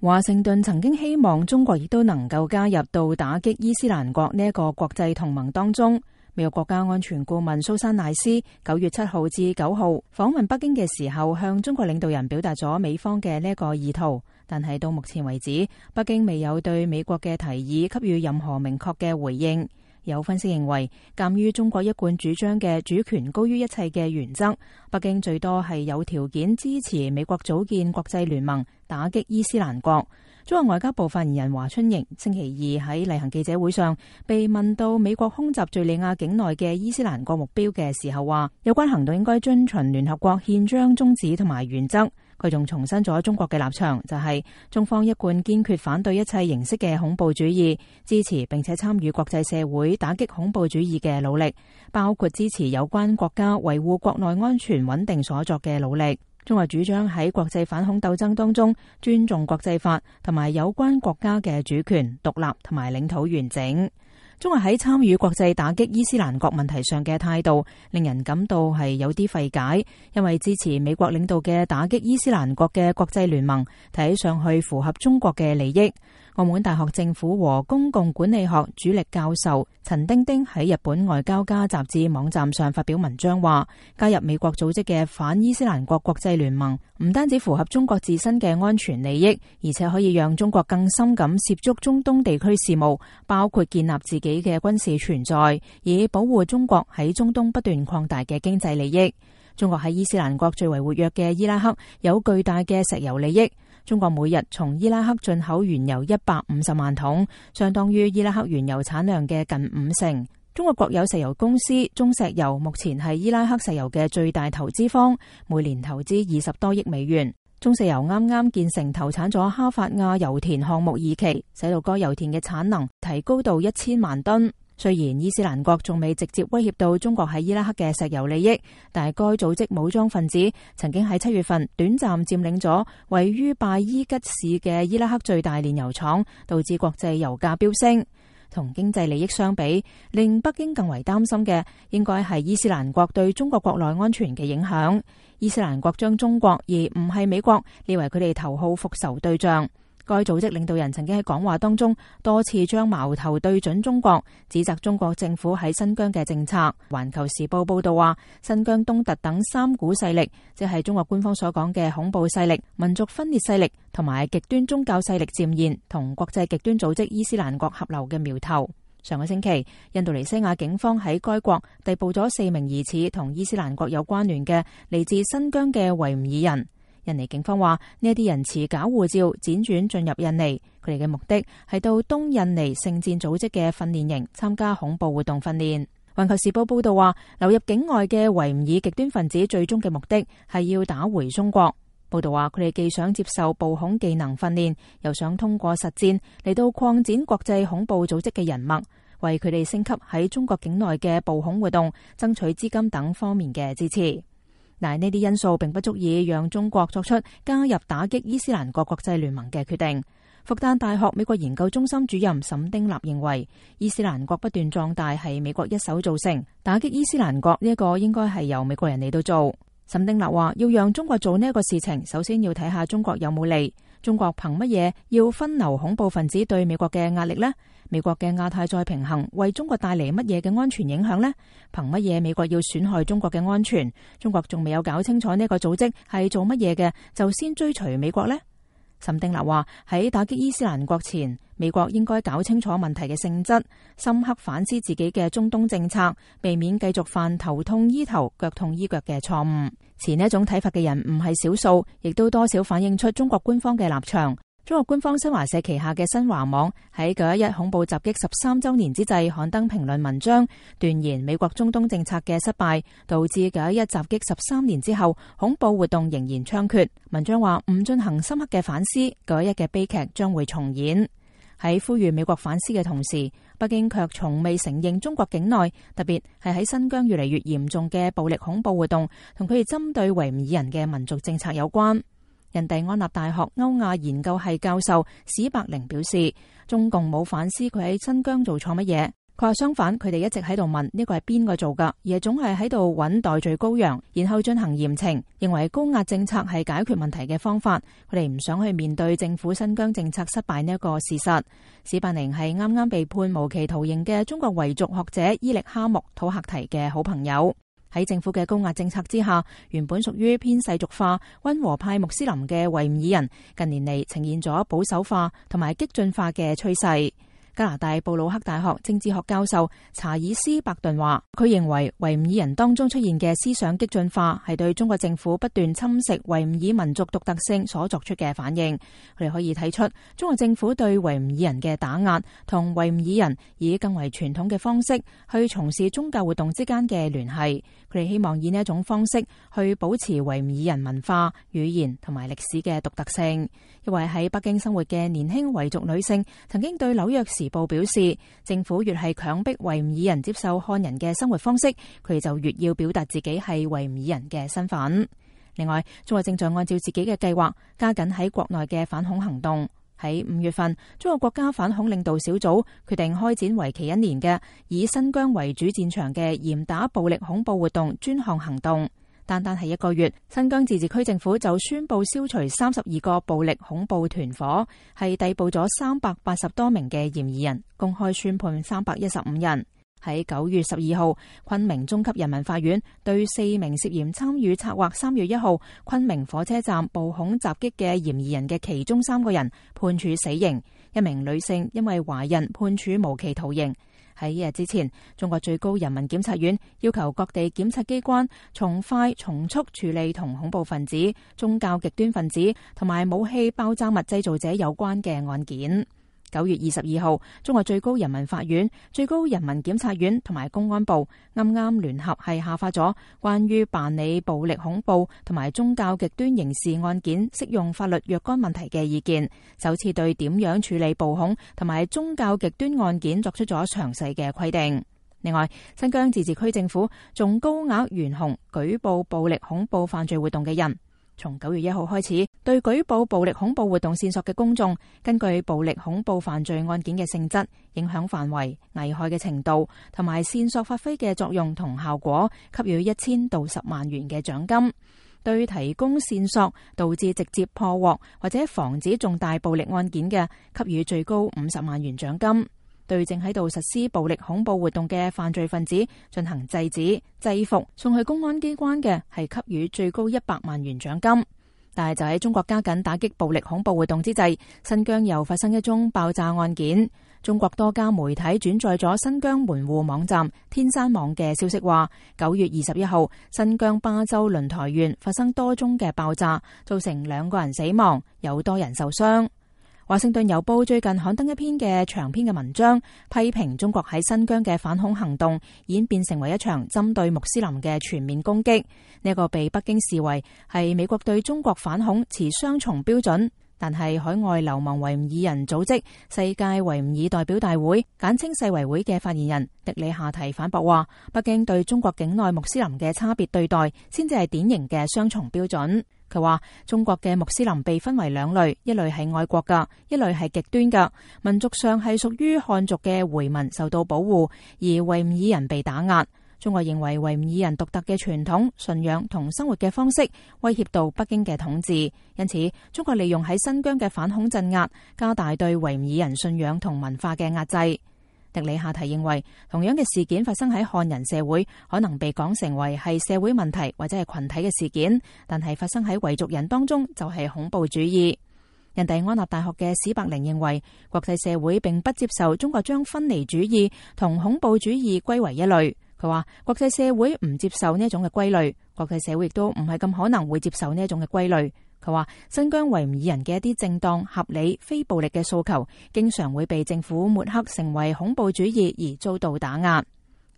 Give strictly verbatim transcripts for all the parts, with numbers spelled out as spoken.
華盛頓曾經希望中國亦都能夠加入到打擊伊斯蘭國呢一個國際同盟當中。美國國家安全顧問蘇珊賴斯九月七號至九號訪問北京嘅時候，向中國領導人表達咗美方嘅呢一個意圖，但係到目前為止，北京未有對美國嘅提議給予任何明確嘅回應。有分析認為，鑑於中國一貫主張嘅主權高於一切嘅原則，北京最多係有條件支持美國組建國際聯盟，打擊伊斯蘭國。中國外交部發言人華春瑩星期二喺例行記者會上被問到美國空襲敘利亞境內嘅伊斯蘭國目標嘅時候，話有關行動應該遵循聯合國憲章宗旨同埋原則。佢仲重申咗中國嘅立場，就係中方一貫堅決反對一切形式嘅恐怖主義，支持並且參與國際社會打擊恐怖主義嘅努力，包括支持有關國家維護國內安全穩定所作嘅努力。中國主張喺國際反恐鬥爭當中尊重國際法同埋有關國家嘅主權、獨立同埋領土完整。中國喺參與國際打擊伊斯蘭國問題上嘅態度，令人感到係有啲費解，因為支持美國領導嘅打擊伊斯蘭國嘅國際聯盟，睇上去符合中國嘅利益。澳門大學政府和公共管理學主力教授陳丁丁喺日本外交家雜誌網站上發表文章話，加入美國組織嘅反伊斯蘭國國際聯盟，唔單止符合中國自身嘅安全利益，而且可以讓中國更深咁涉足中東地區事務，包括建立自己嘅軍事存在，以保護中國喺中東不斷擴大嘅經濟利益。中國喺伊斯蘭國最為活躍嘅伊拉克有巨大嘅石油利益。中國每日從伊拉克進口原油一百五十萬桶，相當於伊拉克原油產量嘅近五成。中國國有石油公司中石油目前係伊拉克石油嘅最大投資方，每年投資二十多億美元。中石油啱啱建成投產咗哈法亞油田項目二期，使到該油田嘅產能提高到一千萬噸。雖然伊斯蘭國仲未直接威脅到中國喺伊拉克嘅石油利益，但係該組織武裝分子曾經喺七月份短暫佔領咗位於拜伊吉市嘅伊拉克最大煉油廠，導致國際油價飆升。同經濟利益相比，令北京更為擔心嘅應該係伊斯蘭國對中國國內安全嘅影響。伊斯蘭國將中國而唔係美國列為佢哋頭號復仇對象。該組織領導人曾經喺講話當中多次將矛頭對準中國，指責中國政府喺新疆嘅政策。環球時報報道話，新疆東突等三股勢力，即係中國官方所講嘅恐怖勢力、民族分裂勢力同埋極端宗教勢力，漸現同國際極端組織伊斯蘭國合流嘅苗頭。上個星期，印度尼西亞警方喺該國逮捕咗四名疑似同伊斯蘭國有關聯嘅嚟自新疆嘅維吾爾人。印尼警方話，呢一啲人持假護照輾轉進入印尼，佢哋嘅目的係到東印尼聖戰組織嘅訓練營參加恐怖活動訓練。環球時報報道話，流入境外嘅維吾爾極端分子最終嘅目的係要打回中國。報道話，佢哋既想接受暴恐技能訓練，又想通過實戰嚟到擴展國際恐怖組織嘅人脈，為佢哋升級喺中國境內嘅暴恐活動爭取資金等方面嘅支持。但係呢啲因素並不足以讓中國作出加入打擊伊斯蘭國國際聯盟嘅決定。復旦大學美國研究中心主任沈丁立認為，伊斯蘭國不斷壯大係美國一手造成，打擊伊斯蘭國呢一個應該係由美國人嚟到做。沈丁立話，要讓中國做呢一個事情，首先要睇下中國有冇利。中國憑乜嘢要分流恐怖分子對美國嘅壓力呢？美國嘅亞太再平衡為中國帶嚟乜嘢嘅安全影響呢？憑乜嘢美國要損害中國嘅安全？中國仲未有搞清楚呢個組織係做乜嘢嘅，就先追隨美國呢？沈丁立話，喺打擊伊斯蘭國前，美國應該搞清楚問題嘅性質，深刻反思自己嘅中東政策，避免繼續犯頭痛醫頭、腳痛醫腳嘅錯誤。持呢一種睇法嘅人唔係少數，亦都多少反映出中國官方嘅立場。中國官方新華社旗下嘅新華網喺九一一恐怖襲擊十三週年之際刊登評論文章，斷言美國中東政策嘅失敗導致九一一襲擊十三年之後恐怖活動仍然猖獗。文章話，唔進行深刻嘅反思，九一一嘅悲劇將會重演。喺呼籲美國反思嘅同時，北京卻從未承認中國境內，特別係喺新疆越嚟越嚴重嘅暴力恐怖活動同佢哋針對維吾爾人嘅民族政策有關。印第安納大學歐亞研究系教授史伯寧表示，中共冇反思佢喺新疆做錯乜嘢，佢話相反，佢哋一直喺度問呢個係邊個做㗎，而係總係喺度揾代罪羔羊，然後進行嚴懲，認為高壓政策係解決問題嘅方法。佢哋唔想去面對政府新疆政策失敗呢一個事實。史伯寧係啱啱被判無期徒刑嘅中國維族學者伊力哈木土赫提嘅好朋友。喺政府嘅高壓政策之下，原本屬於偏世俗化、溫和派穆斯林嘅維吾爾人，近年嚟呈現咗保守化同埋激進化嘅趨勢。加拿大布魯克大學政治學教授查爾斯伯頓話，佢認為維吾爾人當中出現嘅思想激進化係對中國政府不斷侵蝕維吾爾民族獨特性所作出嘅反應。佢哋可以睇出中國政府對維吾爾人嘅打壓同維吾爾人以更為傳統嘅方式去從事宗教活動之間嘅聯繫。佢哋希望以呢一種方式去保持維吾爾人文化、語言同埋歷史嘅獨特性。一位喺北京生活嘅年輕維族女性曾經對紐約時報表示，政府越係強迫維吾爾人接受漢人嘅生活方式，佢哋就越要表達自己係維吾爾人嘅身份。另外，中國正在按照自己嘅計劃加緊喺國內嘅反恐行動。喺五月份，中國國家反恐領導小組決定開展為期一年嘅以新疆為主戰場嘅嚴打暴力恐怖活動專項行動。單單係一個月，新疆自治區政府就宣布消除三十二個暴力恐怖團伙，係逮捕咗三百八十多名嘅嫌疑人，公開宣判三百一十五人。喺九月十二號，昆明中級人民法院對四名涉嫌參與策劃三月一號昆明火車站暴恐襲擊嘅嫌疑人嘅其中三個人判處死刑，一名女性因為懷孕判處無期徒刑。喺一日之前，中國最高人民檢察院要求各地檢察機關從快從速處理同恐怖分子、宗教極端分子同埋武器爆炸物製造者有關嘅案件。九月二十二號，中國最高人民法院、最高人民檢察院同埋公安部啱啱聯合係下發咗關於辦理暴力恐怖同埋宗教極端刑事案件適用法律若干問題嘅意見，首次對點樣處理暴恐同埋宗教極端案件作出咗詳細嘅規定。另外，新疆自治區政府仲高額懸紅舉報暴力恐怖犯罪活動嘅人。從九月一號開始，對舉報暴力恐怖活動線索嘅公眾，根據暴力恐怖犯罪案件嘅性質、影響範圍、危害嘅程度同埋線索發揮嘅作用同效果，給予一千到十萬元嘅獎金；對提供線索導致直接破獲或者防止重大暴力案件嘅，給予最高五十萬元獎金。對正喺度實施暴力恐怖活動嘅犯罪分子進行制止、制服、送去公安機關嘅，係給予最高一百萬元獎金。但係就喺中國加緊打擊暴力恐怖活動之際，新疆又發生一宗爆炸案件。中國多家媒體轉載咗新疆門戶網站天山網嘅消息，話九月二十一號，新疆巴州輪台縣發生多宗嘅爆炸，造成兩個人死亡，有多人受傷。華盛頓郵報最近刊登一篇嘅長篇嘅文章，批評中國喺新疆嘅反恐行動演變成為一場針對穆斯林嘅全面攻擊。呢個被北京視為係美國對中國反恐持雙重標準。但係海外流亡維吾爾人組織世界維吾爾代表大會簡稱世維會嘅發言人迪里夏提反駁話，北京對中國境內穆斯林嘅差別對待先至係典型嘅雙重標準。佢話中國嘅穆斯林被分為兩類，一類係愛國㗎，一類係極端㗎。民族上係屬於漢族嘅回民受到保護，而維吾爾人被打壓。中國認為維吾爾人獨特嘅傳統、信仰同生活嘅方式威脅到北京嘅統治，因此中國利用喺新疆嘅反恐鎮壓，加大對維吾爾人信仰同文化嘅壓制。迪里夏提認為，同樣嘅事件發生喺漢人社會，可能被講成為係社會問題或者係群體嘅事件，但係發生喺維族人當中就係恐怖主義。印第安納大學嘅史伯寧認為，國際社會並不接受中國將分離主義同恐怖主義歸為一類。佢話國際社會唔接受呢一種嘅歸類，國際社會亦都唔係咁可能會接受呢一種嘅歸類。佢話新疆維吾爾人嘅一啲正當、合理、非暴力嘅訴求，經常會被政府抹黑成為恐怖主義而遭到打壓。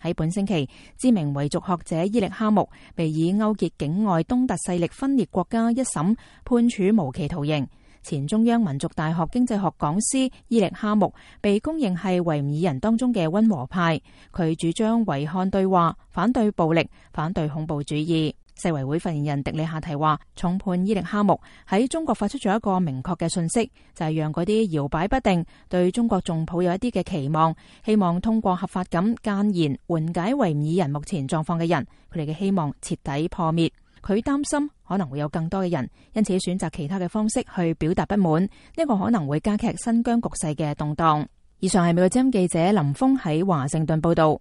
喺本星期，知名維族學者伊力哈木被以勾結境外東突勢力分裂國家一審判處無期徒刑。前中央民族大學經濟學講師伊力哈木被公認係維吾爾人當中嘅溫和派，佢主張維漢對話，反對暴力，反對恐怖主義。世衛會發言人迪里夏提話，重判伊力哈木喺中國發出咗一個明確嘅信息，就係讓嗰啲搖擺不定、對中國仲抱有一啲嘅期望，希望通過合法咁諫言緩解維吾爾人目前狀況嘅人，佢哋嘅希望徹底破滅。佢擔心可能會有更多嘅人因此選擇其他嘅方式去表達不滿，呢個可能會加劇新疆局勢嘅動盪。以上係美國之音記者林峰喺華盛頓報道。